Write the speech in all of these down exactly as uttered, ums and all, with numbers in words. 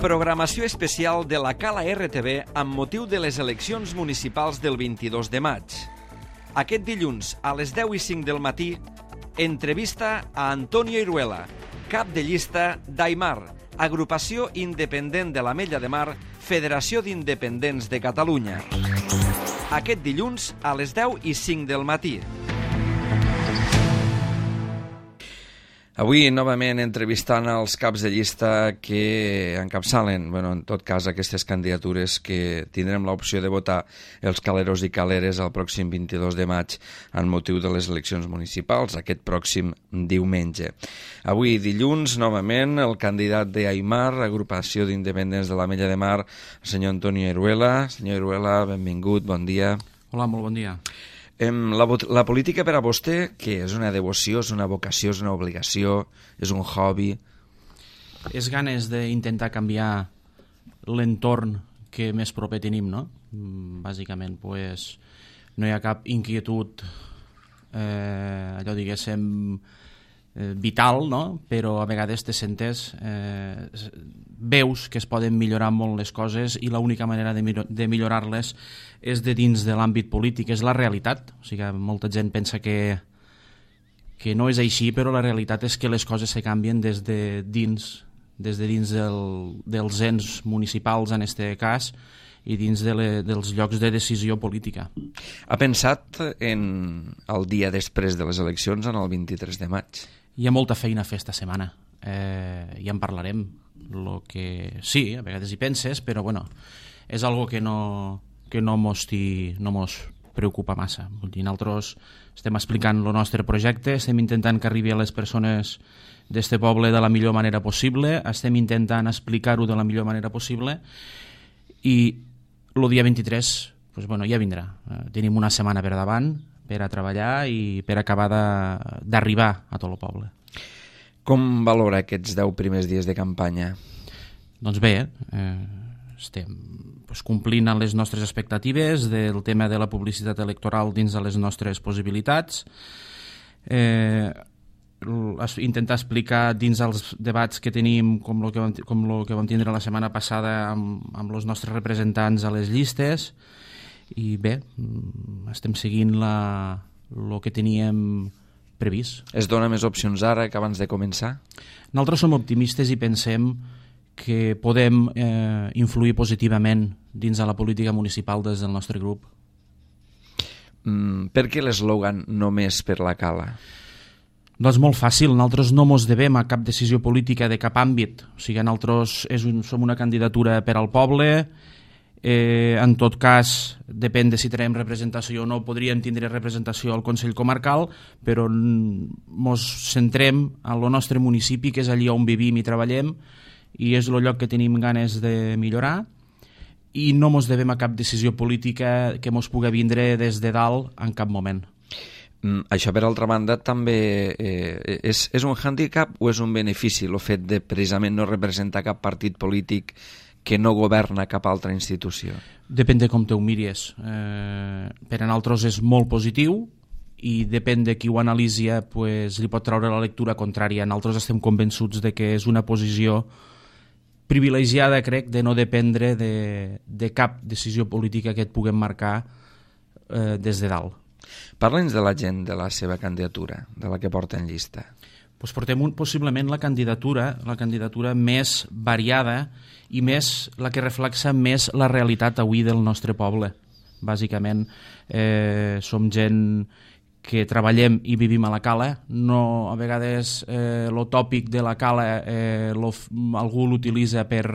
Programació especial de la Cala R T V amb motiu de les eleccions municipals del vint-i-dos de maig. Aquest dilluns, a les deu i cinc del matí, entrevista a Antonio Iruela, cap de llista d'Aimar, agrupació independent de l'Ametlla de Mar, Federació d'Independents de Catalunya. Aquest dilluns, a les deu i cinc del matí. Avui, novament, entrevistant els caps de llista que encapçalen, bueno, en tot cas, aquestes candidatures que tindrem l'opció de votar els caleros i caleres el pròxim vint-i-dos de maig en motiu de les eleccions municipals, aquest pròxim diumenge. Avui, dilluns, novament, el candidat d'Aimar, agrupació d'independents de l'Ametlla de Mar, el senyor Antonio Iruela. Senyor Iruela, benvingut, bon dia. Hola, molt bon dia. La, la política per a vostè, què? És una devoció, és una vocació, és una obligació, és un hobby? És ganes d'intentar canviar l'entorn que més proper tenim, no? Bàsicament, pues, no hi ha cap inquietud, eh, allò diguéssim, eh, vital, no? Però a vegades te sentes, eh, veus que es poden millorar molt les coses i l'única manera de, de millorar-les és de dins de l'àmbit polític, és la realitat. O sigui, molta gent pensa que, que no és així, però la realitat és que les coses se canvien des de dins, des de dins del, dels ens municipals, en aquest cas, i dins de le, dels llocs de decisió política. Ha pensat en el dia després de les eleccions, en el vint-i-tres de maig? Hi ha molta feina a fer esta setmana. Eh, ja en parlarem. Lo que... Sí, a vegades hi penses, però bueno, és algo que no... que no mos, ti, no mos preocupa massa. Vull dir, nosaltres estem explicant el nostre projecte, estem intentant que arribi a les persones d'este poble de la millor manera possible, estem intentant explicar-ho de la millor manera possible i el dia vint-i-tres pues, bueno, ja vindrà. Eh, tenim una setmana per davant per a treballar i per acabar d'arribar a tot el poble. Com valora aquests deu primers dies de campanya? Doncs bé, eh, estem pues, complint amb les nostres expectatives del tema de la publicitat electoral dins de les nostres possibilitats, eh, intentar explicar dins els debats que tenim com el que vam, com lo que vam tindre la setmana passada amb, amb els nostres representants a les llistes i bé, estem seguint la, el que teníem previst. Es dona més opcions ara que abans de començar? Nosaltres som optimistes i pensem que podem eh, influir positivament dins de la política municipal des del nostre grup. Mm, per què l'eslògan només per la Cala? Doncs molt fàcil, nosaltres no mos devem a cap decisió política de cap àmbit. O sigui, nosaltres és un, som una candidatura per al poble, eh, en tot cas, depèn de si tenim representació o no, podríem tindre representació al Consell Comarcal, però mos centrem en el nostre municipi, que és allí on vivim i treballem, i és el lloc que tenim ganes de millorar i no mos devem a cap decisió política que mos pugui vindre des de dalt en cap moment. Mm, això, per altra banda, també eh, és, és un hàndicap o és un benefici el fet de precisament no representar cap partit polític que no governa cap altra institució? Depèn de com te ho miris. Eh, per a nosaltres és molt positiu i depèn de qui ho analitzi, pues, li pot treure la lectura contrària. Nosaltres estem convençuts de que és una posició privilegiada, crec, de no dependre de, de cap decisió política que et puguem marcar eh, des de dalt. Parla'ns de la gent de la seva candidatura, de la que porta en llista. Pues portem un, possiblement la candidatura, la candidatura més variada i més la que reflexa més la realitat avui del nostre poble. Bàsicament, eh, som gent que treballem i vivim a la Cala, no a vegades eh, lo tòpic de la Cala eh, lo, algú l'utilitza per,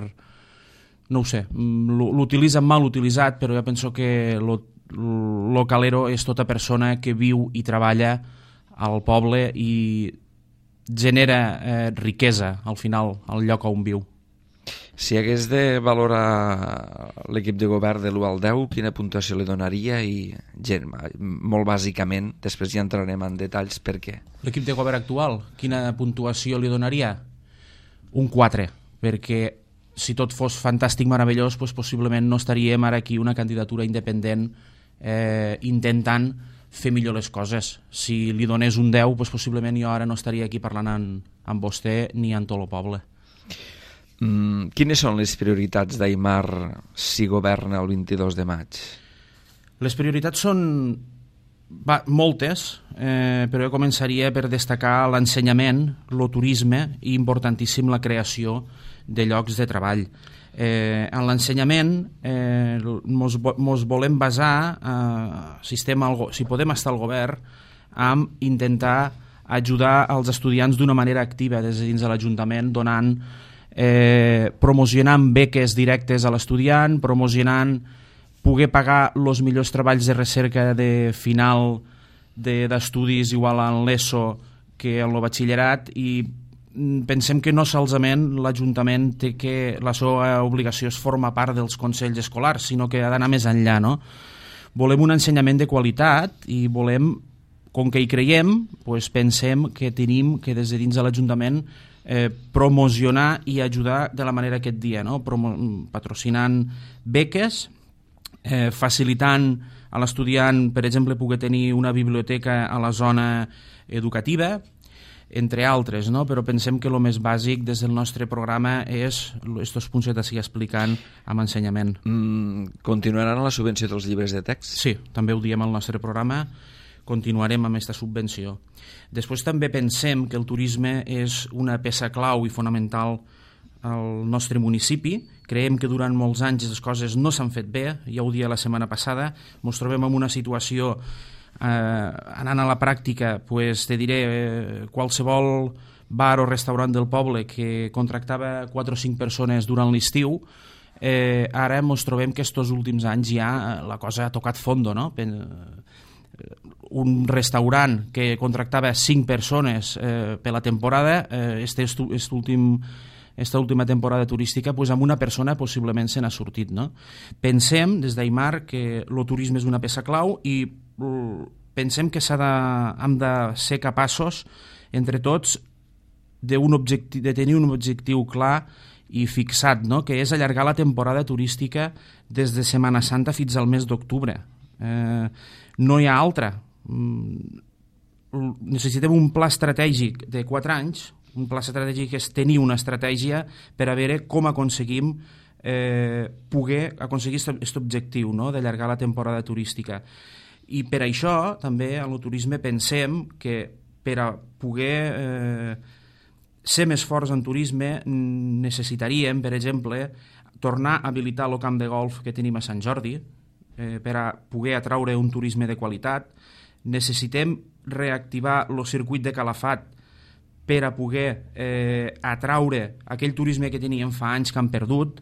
no ho sé, l'utilitza mal utilitzat, però jo penso que lo, lo calero és tota persona que viu i treballa al poble i genera eh, riquesa al final al lloc on viu. Si hagués de valorar l'equip de govern de l'u al deu, quina puntuació li donaria i, gent, molt bàsicament, després ja entrarem en detalls per què. L'equip de govern actual, quina puntuació li donaria? Un quatre, perquè si tot fos fantàstic, meravellós, doncs possiblement no estaríem ara aquí una candidatura independent eh, intentant fer millor les coses. Si li donés un deu, doncs possiblement jo ara no estaria aquí parlant amb, amb vostè ni amb tot el poble. Mm, quines són les prioritats d'Aimar si governa el vint-i-dos de maig? Les prioritats són va, moltes, eh, però jo començaria per destacar l'ensenyament, el turisme i importantíssim la creació de llocs de treball. Eh, en l'ensenyament eh, mos, mos volem basar, eh, si, estem al, si podem estar al govern, amb intentar ajudar els estudiants d'una manera activa des de dins de l'Ajuntament, donant, eh, promocionant beques directes a l'estudiant, promocionant poder pagar els millors treballs de recerca de final d'estudis de, igual en l'ESO que en el batxillerat, i pensem que no solament l'Ajuntament té que la seva obligació és formar part dels consells escolars, sinó que ha d'anar més enllà, no? Volem un ensenyament de qualitat i volem, com que hi creiem, doncs pensem que tenim que des de dins de l'Ajuntament eh, promocionar i ajudar de la manera que et dia, no? Promo patrocinant beques, eh, facilitant a l'estudiant, per exemple, poder tenir una biblioteca a la zona educativa, entre altres, no? Però pensem que el més bàsic des del nostre programa és aquests punts que t'estic explicant amb ensenyament. Mm, continuaran la subvenció dels llibres de text? Sí, també ho diem al nostre programa, continuarem amb aquesta subvenció. Després també pensem que el turisme és una peça clau i fonamental al nostre municipi. Creiem que durant molts anys les coses no s'han fet bé, ja ho dia la setmana passada, ens trobem en una situació, eh, anant a la pràctica, pues, te diré, eh, qualsevol bar o restaurant del poble que contractava quatre o cinc persones durant l'estiu, eh, ara ens trobem que aquests últims anys ja la cosa ha tocat fondo, no? Un restaurant que contractava cinc persones eh, per la temporada, eh, este, este últim, esta última temporada turística, pues, amb una persona possiblement se n'ha sortit, no? Pensem des d'Aimar que el turisme és una peça clau i uh, pensem que s'ha de, hem de ser capaços entre tots objectiu, de tenir un objectiu clar i fixat, no? Que és allargar la temporada turística des de Setmana Santa fins al mes d'octubre. Eh, no hi ha altra. Necessitem un pla estratègic de quatre anys. Un pla estratègic és tenir una estratègia per a veure com aconseguim eh, poder aconseguir aquest objectiu, no? D'allargar la temporada turística. I per això també en el turisme pensem que per a poder eh, ser més forts en turisme necessitaríem, per exemple, tornar a habilitar el camp de golf que tenim a Sant Jordi, eh, per a poder atraure un turisme de qualitat. Necessitem reactivar el circuit de Calafat per a poder eh, atraure aquell turisme que teníem fa anys que han perdut,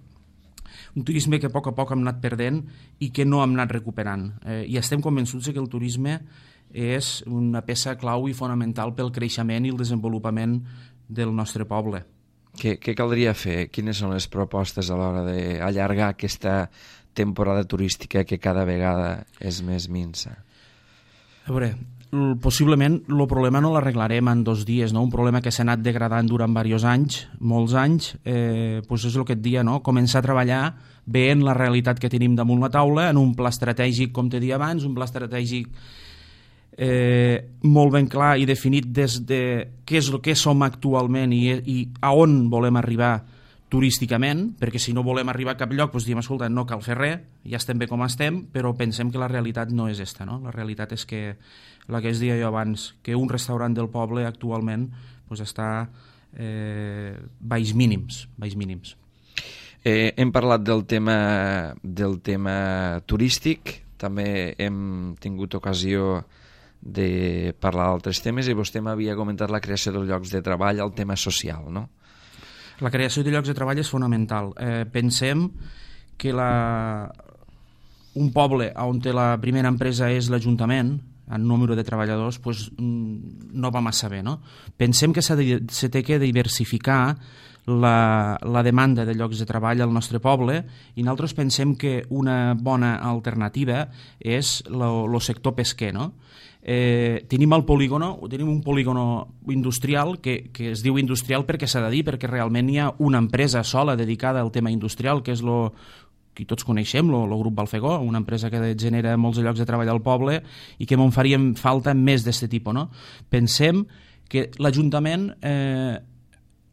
un turisme que a poc a poc hem anat perdent i que no hem anat recuperant. Eh, I estem convençuts que el turisme és una peça clau i fonamental pel creixement i el desenvolupament del nostre poble. Què, què caldria fer? Quines són les propostes a l'hora d'allargar aquesta temporada turística que cada vegada és més minsa? A veure, possiblement el problema no l'arreglarem en dos dies, no? Un problema que s'ha anat degradant durant diversos anys, molts anys, eh, doncs és el que et dia, no? Començar a treballar veient la realitat que tenim damunt la taula, en un pla estratègic, com t'he dit abans, un pla estratègic eh, molt ben clar i definit des de què és el que som actualment i, i a on volem arribar turísticament, perquè si no volem arribar a cap lloc, doncs diem, escolta, no cal fer res, ja estem bé com estem, però pensem que la realitat no és esta, no? La realitat és que, la que es deia jo abans, que un restaurant del poble actualment doncs està eh, baix mínims, baix mínims. Eh, hem parlat del tema, del tema turístic, també hem tingut ocasió de parlar d'altres temes i vostè m'havia comentat la creació dels llocs de treball, el tema social, no? La creació de llocs de treball és fonamental. Eh, pensem que la... un poble on la primera empresa és l'Ajuntament, en número de treballadors, pues, no va massa bé, no? Pensem que s'ha de, se té que diversificar la, la demanda de llocs de treball al nostre poble i nosaltres pensem que una bona alternativa és el sector pesquer, no? Eh, tenim el polígono, tenim un polígono industrial que, que es diu industrial perquè s'ha de dir, perquè realment hi ha una empresa sola dedicada al tema industrial, que és lo que tots coneixem, el grup Balfegó, una empresa que genera molts llocs de treball al poble i que en faríem falta més d'aquest tipus, no? Pensem que l'Ajuntament eh,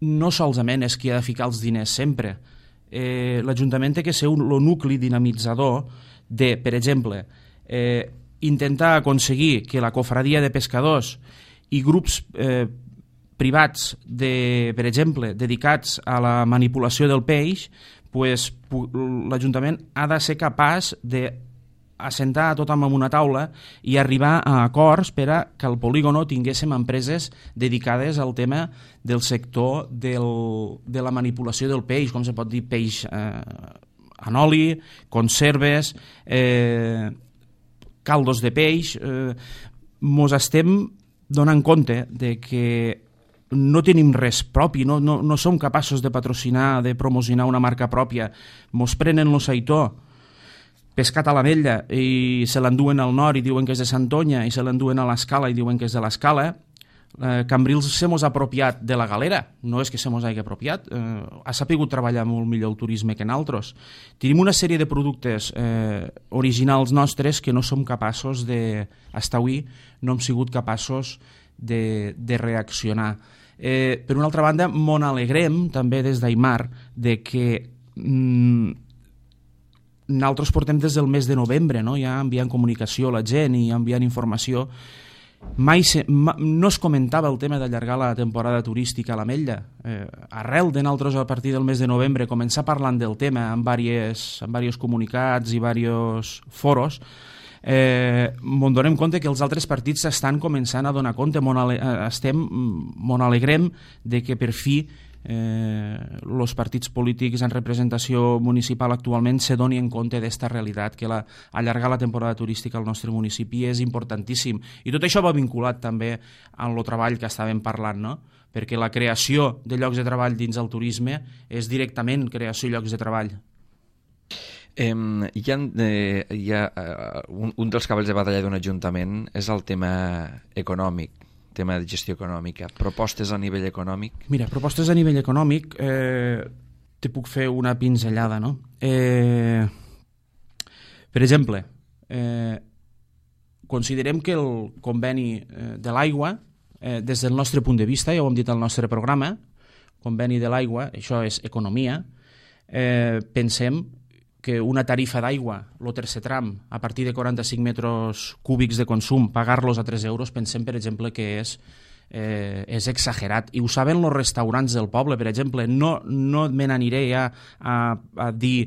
no solament és qui ha de ficar els diners sempre. Eh, L'Ajuntament té que ser un, el nucli dinamitzador de, per exemple, eh, intentar aconseguir que la cofradia de pescadors i grups eh, privats, de, per exemple, dedicats a la manipulació del peix, pues, l'Ajuntament ha de ser capaç de assentar a tothom en una taula i arribar a acords per a que al polígono tinguéssim empreses dedicades al tema del sector del, de la manipulació del peix, com se pot dir, peix eh, en oli, conserves, eh, caldos de peix. Eh, mos estem donant compte de que no tenim res propi, no, no, no som capaços de patrocinar, de promocionar una marca pròpia. Mos prenen lo seitó pescat a l'Ametlla i se l'enduen al nord i diuen que és de Santonya, i se l'enduen a l'Escala i diuen que és de l'Escala. Eh, Cambrils se mos ha apropiat de la galera, no és que se mos hagi apropiat, eh, ha sapigut treballar molt millor el turisme que nosaltres. Tenim una sèrie de productes eh, originals nostres que no som capaços de, fins avui no hem sigut capaços de, de reaccionar. Eh, per una altra banda, mon alegrem també des d'Aimar de que mm, nosaltres portem des del mes de novembre, no? Ja enviant comunicació a la gent i enviant informació. Mai se, ma, no es comentava el tema d'allargar la temporada turística a l'Ametlla. Eh, arrel de nosaltres, a partir del mes de novembre, començar parlant del tema en diversos, en diversos comunicats i diversos foros, eh, m'en donem compte que els altres partits estan començant a donar compte, mon ale, estem, mon alegrem de que per fi els eh, partits polítics en representació municipal actualment se doni en compte d'esta realitat, que la, allargar la temporada turística al nostre municipi és importantíssim. I tot això va vinculat també amb el treball que estàvem parlant, no? Perquè la creació de llocs de treball dins el turisme és directament creació de llocs de treball. Eh, hi ha, eh, hi ha uh, un, un dels cavalls de batalla d'un ajuntament és el tema econòmic, tema de gestió econòmica. Propostes a nivell econòmic? Mira, propostes a nivell econòmic, eh, te puc fer una pinzellada, no? Eh, per exemple, eh, considerem que el conveni eh, de l'aigua, eh, des del nostre punt de vista, ja ho hem dit al nostre programa, conveni de l'aigua, això és economia, eh, pensem que una tarifa d'aigua, el tercer tram, a partir de quaranta-cinc metres cúbics de consum, pagar-los a tres euros, pensem, per exemple, que és, eh, és exagerat. I ho saben els restaurants del poble, per exemple. No, no me n'aniré ja a, a dir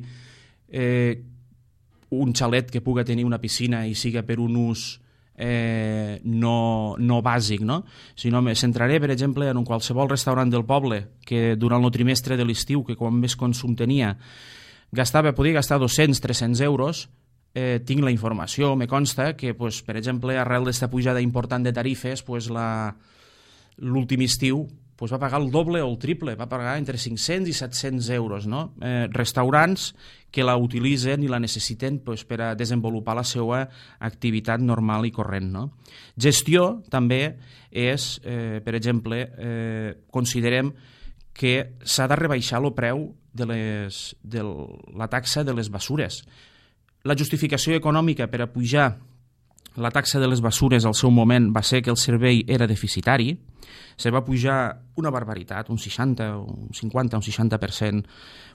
eh, un xalet que puga tenir una piscina i siga per un ús eh, no, no bàsic, no? Sinó me centraré, per exemple, en un qualsevol restaurant del poble que durant el trimestre de l'estiu, que quan més consum tenia, gastava, podia gastar dos-cents a tres-cents euros, eh, tinc la informació, me consta que, pues, per exemple, arrel d'esta pujada important de tarifes, pues, l'últim estiu pues, va pagar el doble o el triple, va pagar entre cinc-cents i set-cents euros. No? Eh, restaurants que la utilitzen i la necessiten pues, per a desenvolupar la seva activitat normal i corrent. No? Gestió també és, eh, per exemple, eh, considerem que s'ha de rebaixar el preu de, les, de la taxa de les bessures. La justificació econòmica per a pujar la taxa de les bessures al seu moment va ser que el servei era deficitari, se va pujar una barbaritat, un seixanta, un cinquanta, un seixanta per cent.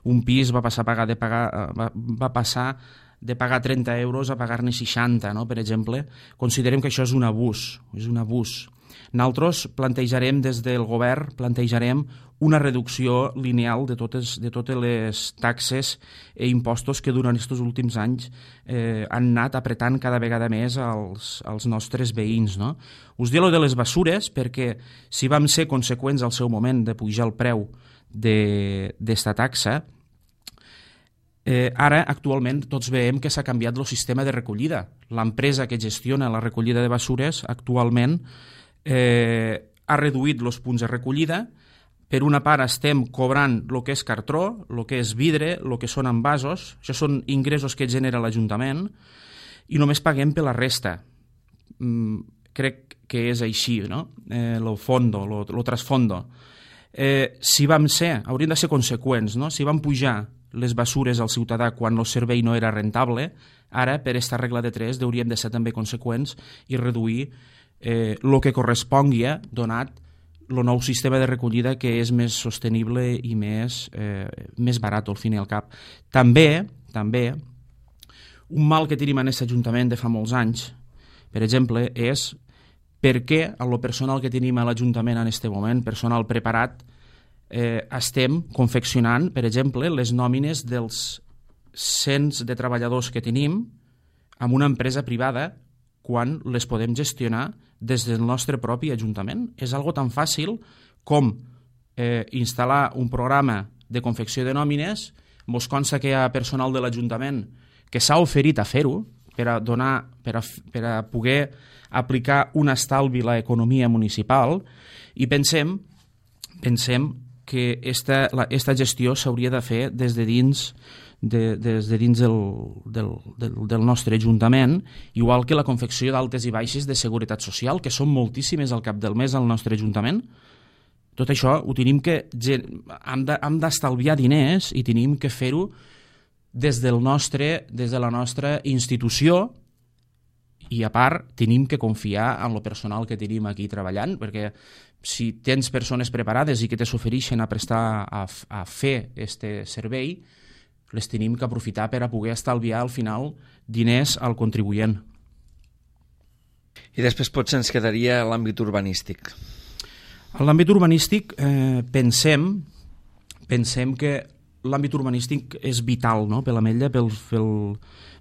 Un pis va passar a pagar de pagar va, va passar de pagar trenta euros a pagar-ne seixanta, no? Per exemple. Considerem que això és un abús, és un abús. Nosaltres plantejarem des del govern, plantejarem una reducció lineal de totes, de totes les taxes i impostos que durant aquests últims anys eh, han anat apretant cada vegada més als, als nostres veïns. No? Us dic allò de les bessures perquè si vam ser conseqüents al seu moment de pujar el preu d'esta taxa, Eh, ara, actualment, tots veiem que s'ha canviat el sistema de recollida. L'empresa que gestiona la recollida de bessures actualment eh, ha reduït els punts de recollida. Per una part estem cobrant el que és cartró, el que és vidre, el que són envasos. Això són ingressos que genera l'Ajuntament i només paguem per la resta. Mm, crec que és així, no? Eh, lo fondo, lo, lo trasfondo. Eh, si vam ser, hauríem de ser conseqüents, no? Si vam pujar les bessures al ciutadà quan el servei no era rentable, ara, per aquesta regla de tres, hauríem de ser també conseqüents i reduir eh, el que correspongui donat el nou sistema de recollida que és més sostenible i més, eh, més barat, al fin i al cap. També, també, un mal que tenim en aquest Ajuntament de fa molts anys, per exemple, és per què el personal que tenim a l'Ajuntament en aquest moment, personal preparat, eh, estem confeccionant, per exemple, les nòmines dels cents de treballadors que tenim amb una empresa privada quan les podem gestionar des del nostre propi Ajuntament. És algo tan fàcil com eh, instal·lar un programa de confecció de nòmines. Mos consta que hi ha personal de l'Ajuntament que s'ha oferit a fer-ho per a, donar, per a, per a poder aplicar un estalvi a l'economia municipal, i pensem, pensem que esta, la, esta gestió s'hauria de fer des de dins De, des de dins del, del, del, del nostre Ajuntament, igual que la confecció d'altes i baixes de seguretat social, que són moltíssimes al cap del mes al nostre Ajuntament. Tot això ho tenim que... hem d'estalviar diners i tenim que fer-ho des del nostre, des de la nostra institució, i a part tenim que confiar en el personal que tenim aquí treballant, perquè si tens persones preparades i que te s'ofereixen a prestar a, a fer este servei, les tenim que aprofitar per a poder estalviar al final diners al contribuent. I després potser ens quedaria l'àmbit urbanístic. En l'àmbit urbanístic eh, pensem, pensem que l'àmbit urbanístic és vital, no?, per l'Ametlla, pel, pel,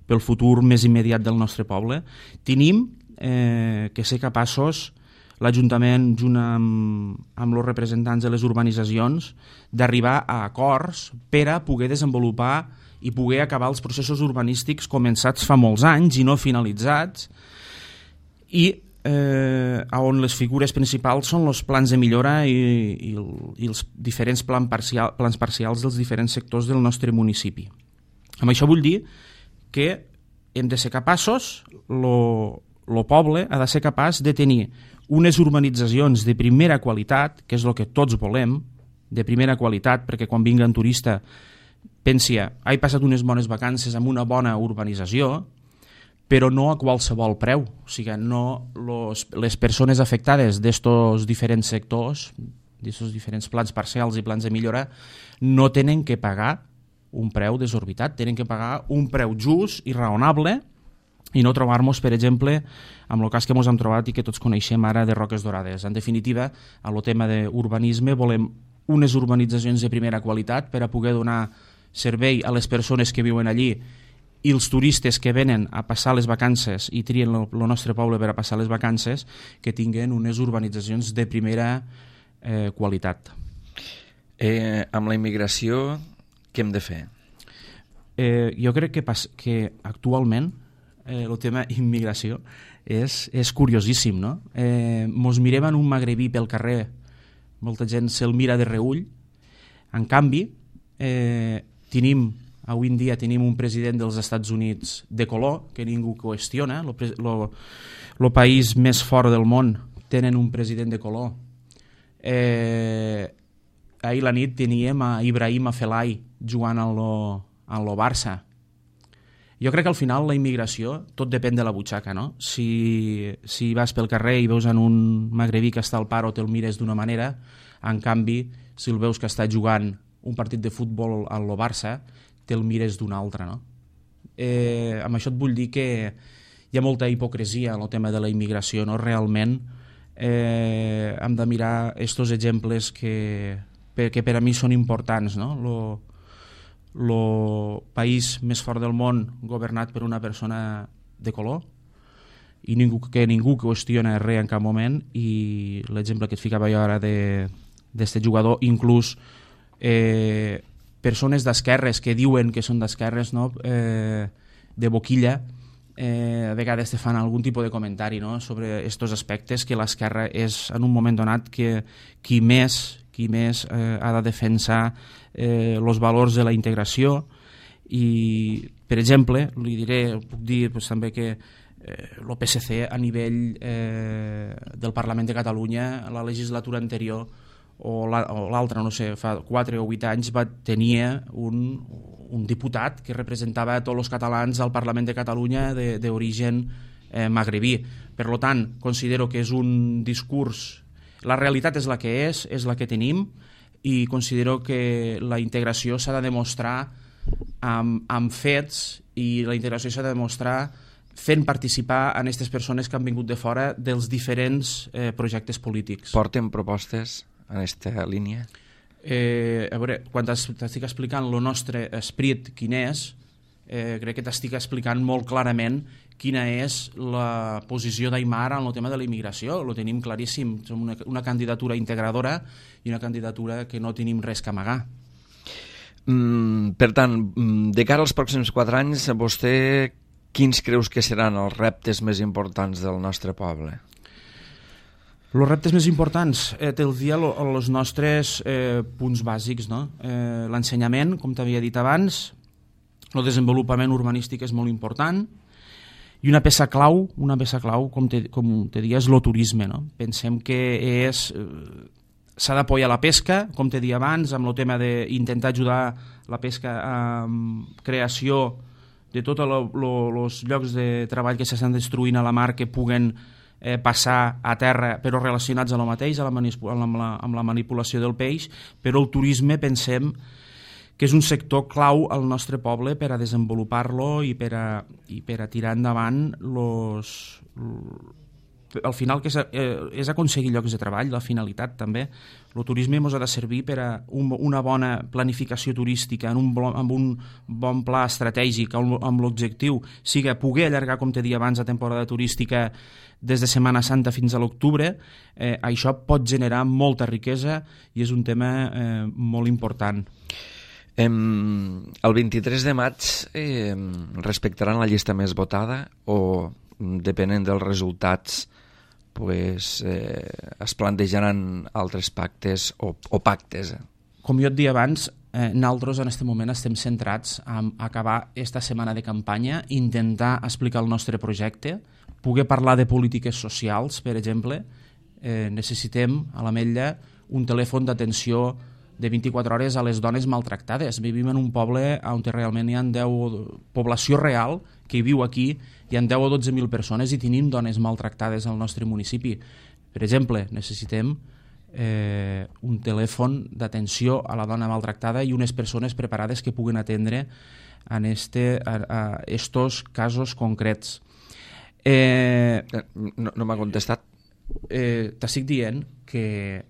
pel futur més immediat del nostre poble. Tenim eh, que ser capaços, l'Ajuntament, junt amb, amb els representants de les urbanitzacions, d'arribar a acords per a poder desenvolupar i poder acabar els processos urbanístics començats fa molts anys i no finalitzats, i eh, on les figures principals són els plans de millora i, i, i els diferents plan parcial, plans parcials dels diferents sectors del nostre municipi. Amb això vull dir que hem de ser capaços, el poble ha de ser capaç de tenir unes urbanitzacions de primera qualitat, que és el que tots volem, de primera qualitat, perquè quan vingui un turista pensi, he passat unes bones vacances amb una bona urbanització, però no a qualsevol preu. O sigui, no los, les persones afectades d'estos diferents sectors, d'aquests diferents plans parcials i plans de millora, no tenen que pagar un preu desorbitat, tenen que pagar un preu just i raonable, i no trobar-nos, per exemple, amb el cas que ens hem trobat i que tots coneixem ara de Roques Dorades. En definitiva, a el tema d'urbanisme volem unes urbanitzacions de primera qualitat per a poder donar servei a les persones que viuen allí i els turistes que venen a passar les vacances i trien el nostre poble per a passar les vacances, que tinguin unes urbanitzacions de primera eh, qualitat. Eh, amb la immigració, què hem de fer? Eh, jo crec que, pas, que actualment Eh, el tema immigració és, és curiosíssim, no? Eh, mos mirem en un magrebí pel carrer, molta gent se'l mira de reull. En canvi, eh, tenim, avui en dia tenim un president dels Estats Units de color, que ningú qüestiona, el país més fort del món tenen un president de color. Eh, ahir la nit teníem a Ibrahim Afellay jugant en lo, en lo Barça. Jo crec que al final la immigració tot depèn de la butxaca, no? Si, si vas pel carrer i veus en un magrebí que està al paro te'l mires d'una manera, en canvi, si el veus que està jugant un partit de futbol al Barça, te'l mires d'una altra, no? Eh, amb això et vull dir que hi ha molta hipocresia en el tema de la immigració, no? Realment eh, hem de mirar estos exemples que, que per a mi són importants, no? Lo, el país més fort del món governat per una persona de color i ningú, que ningú qüestiona res en cap moment, i l'exemple que et ficava jo ara d'aquest jugador, inclús eh, persones d'esquerres que diuen que són d'esquerres, no? eh, de boquilla, eh, a vegades te fan algun tipus de comentari, no? Sobre aquests aspectes, que l'esquerra és en un moment donat que qui més qui més eh, ha de defensar els eh, valors de la integració. I, per exemple, li diré, puc dir pues, també que eh, el P S C a nivell eh, del Parlament de Catalunya, la legislatura anterior o l'altra, no sé, fa quatre o vuit anys va tenir un, un diputat que representava a tots els catalans al Parlament de Catalunya d'origen eh, magrebí. Per tant, considero que és un discurs la realitat és la que és, és la que tenim, i considero que la integració s'ha de demostrar amb, amb fets, i la integració s'ha de demostrar fent participar en aquestes persones que han vingut de fora dels diferents eh, projectes polítics. Porten propostes en aquesta línia? Eh, a veure, quan t'estic explicant el nostre esperit quin és, eh, crec que t'estic explicant molt clarament quina és la posició d'Aimar en el tema de la immigració. Lo tenim claríssim, som una, una candidatura integradora i una candidatura que no tenim res que amagar. Mm, per tant, de cara als pròxims quatre anys, vostè quins creus que seran els reptes més importants del nostre poble? Els reptes més importants, eh, te'ls dia els nostres eh, punts bàsics, no? Eh, l'ensenyament, com t'havia dit abans, el desenvolupament urbanístic és molt important, i una peça clau, una peça clau, com te, com te dia, és el turisme, no? Pensem que és, eh, s'ha d'apoyar la pesca, com te dia abans, amb el tema d'intentar ajudar la pesca amb creació de tots els llocs de treball que s'estan destruint a la mar, que puguen eh, passar a terra, però relacionats a lo mateix, a la amb, la, amb la manipulació del peix. Però el turisme pensem que és un sector clau al nostre poble per a desenvolupar-lo i per a, i per a tirar endavant los, al final, que és, eh, és aconseguir llocs de treball, la finalitat també. El turisme ens ha de servir per a un, una bona planificació turística, en un, amb un bon pla estratègic, amb l'objectiu sigui poder allargar, com t'he dit abans, la temporada turística des de Setmana Santa fins a l'octubre. Eh, això pot generar molta riquesa i és un tema eh, molt important. El vint-i-tres de maig eh, respectaran la llista més votada o, depenent dels resultats, pues, eh, es plantejaran altres pactes o, o pactes? Com jo et deia abans, eh, nosaltres en aquest moment estem centrats en acabar aquesta setmana de campanya, intentar explicar el nostre projecte, poder parlar de polítiques socials, per exemple. Eh, necessitem a l'Ametlla un telèfon d'atenció de vint-i-quatre hores a les dones maltractades. Vivim en un poble on realment hi ha deu, població real que hi viu aquí, hi ha deu o dotze mil persones i tenim dones maltractades al nostre municipi. Per exemple, necessitem eh, un telèfon d'atenció a la dona maltractada i unes persones preparades que puguen atendre en este, a, a estos casos concrets. Eh, no no m'ha contestat. Eh, T'estic dient que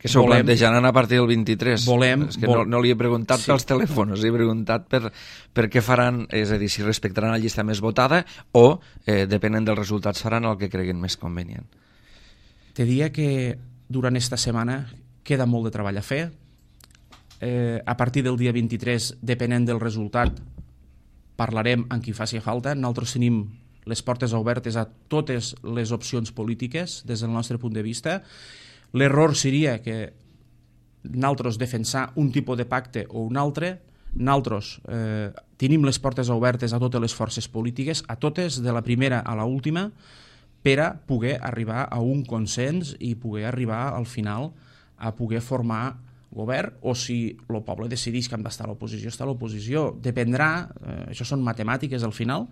que s'ho plantejaran a partir del vint-i-tres. Volem, és que no, no li he preguntat sí. pels telèfons, he preguntat per, per què faran, és a dir, si respectaran la llista més votada o, eh, depenent dels resultats, faran el que creguen més convenient. Te diria que durant esta setmana queda molt de treball a fer. Eh, a partir del dia vint-i-tres, depenent del resultat, parlarem amb qui faci falta. Nosaltres tenim les portes obertes a totes les opcions polítiques des del nostre punt de vista. L'error seria que nosaltres defensar un tipus de pacte o un altre. Nosaltres eh, tenim les portes obertes a totes les forces polítiques, a totes, de la primera a l'última, per a poder arribar a un consens i poder arribar al final a poder formar govern, o si el poble decideix que hem d'estar a l'oposició, està a l'oposició. Dependrà, eh, això són matemàtiques al final,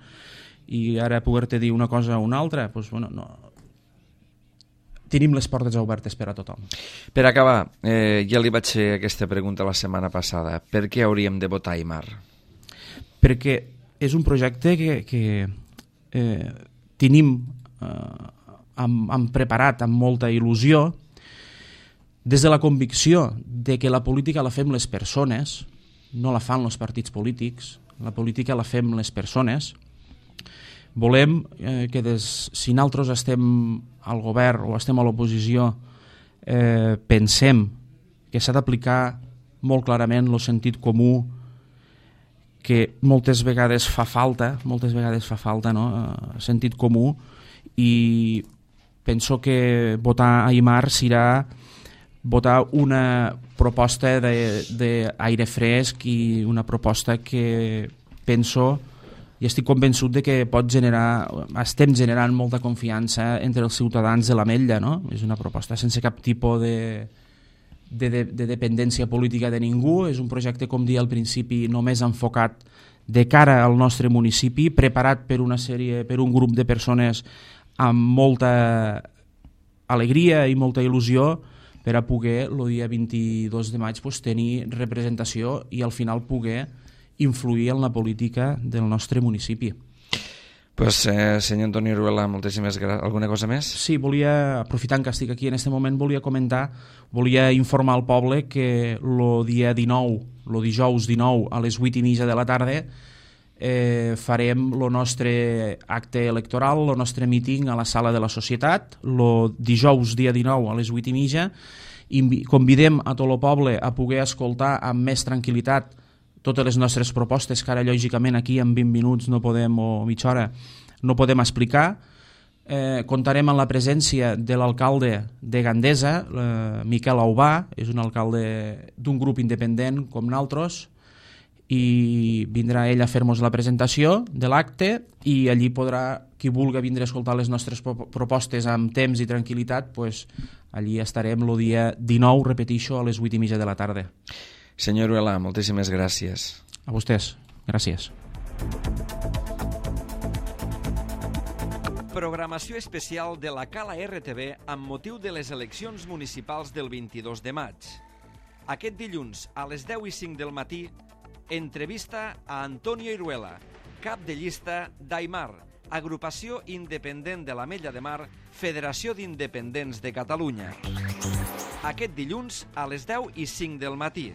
i ara poder-te dir una cosa o una altra, doncs, bueno, no... tenim les portes obertes per a tothom. Per acabar, eh, ja li vaig fer aquesta pregunta la setmana passada. Per què hauríem de votar Aimar? Perquè és un projecte que, que eh, tenim eh, hem, hem preparat amb molta il·lusió, des de la convicció de que la política la fem les persones, no la fan els partits polítics, la política la fem les persones. Volem eh, que des, si nosaltres estem al govern o estem a l'oposició, eh, pensem que s'ha d'aplicar molt clarament el sentit comú, que moltes vegades fa falta, moltes vegades fa falta, no? Eh, sentit comú, i penso que votar Aimar serà votar una proposta d'aire fresc i una proposta que penso i estic convençut de que pot generar, estem generant molta confiança entre els ciutadans de l'Ametlla, no? És una proposta sense cap tipus de, de, de, de dependència política de ningú, és un projecte, com dia al principi, només enfocat de cara al nostre municipi, preparat per una sèrie, per un grup de persones amb molta, alegria i molta il·lusió per a poder el dia vint-i-dos de maig pues, tenir representació i al final poder influir en la política del nostre municipi. Pues, eh, senyor Antoni Iruela, moltíssimes gràcies. Alguna cosa més? Sí, volia, aprofitant que estic aquí en aquest moment, volia comentar, volia informar al poble que el dia dinou, el dijous dinou a les vuit i mitja de la tarda eh, farem el nostre acte electoral, el nostre míting a la sala de la Societat, el dijous dia dinou a les vuit i mitja. Convidem a tot el poble a poder escoltar amb més tranquil·litat totes les nostres propostes, que ara lògicament aquí en vint minuts no podem, o mitja hora, no podem explicar. Eh, comptarem amb la presència de l'alcalde de Gandesa, eh, Miquel Aubà, és un alcalde d'un grup independent com nosaltres, i vindrà ell a fer-nos la presentació de l'acte i allí podrà, qui vulgui vindre a escoltar les nostres propostes amb temps i tranquil·litat, pues, allí estarem el dia dinou, repetixo, a les vuit i mitja de la tarda. Senyor Iruela, moltíssimes gràcies. A vostès, gràcies. Programació especial de la Cala R T V amb motiu de les eleccions municipals del vint-i-dos de maig. Aquest dilluns, a les deu i cinc del matí, entrevista a Antonio Iruela, cap de llista d'Aimar, agrupació independent de l'Ametlla de Mar, Federació d'Independents de Catalunya. Aquest dilluns a les deu i cinc del matí.